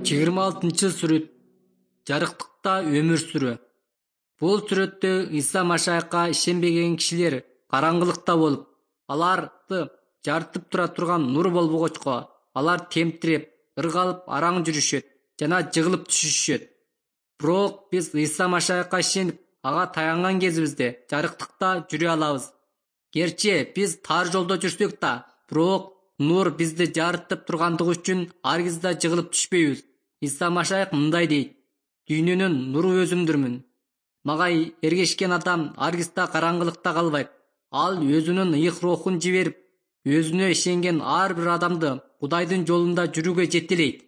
26-сүрөт жарыктыкта өмүр сүрүү. Бул сүрөттө Иса Машайыкка ишенбеген кишилер караңгылыкта болуп, аларды жарытып тура турган нур болбогочко, алар темтирип, ыргалып араң жүрүшөт жана жыгылып түшүшөт. Бирок биз Иса Машайыкка ишенип, ага таянган кезибизде жарыктыкта жүрө алабыз. Герчи биз тар жолдо жүрсөк да, бирок нур бизди жарытып тургандыгы үчүн ар кезде жыгылып түшпөйбүз. Иса Машайык мындай дейт: дүйнөнүн нуру өзүмдүрмүн. Мага эргешкен адам ар кезде караңгылыкта калбайт. Ал өзүнүн ыйык рухун жиберип, өзүнө ишенген ар бир адамды Кудайдын жолунда жүрүүгө жетелейт.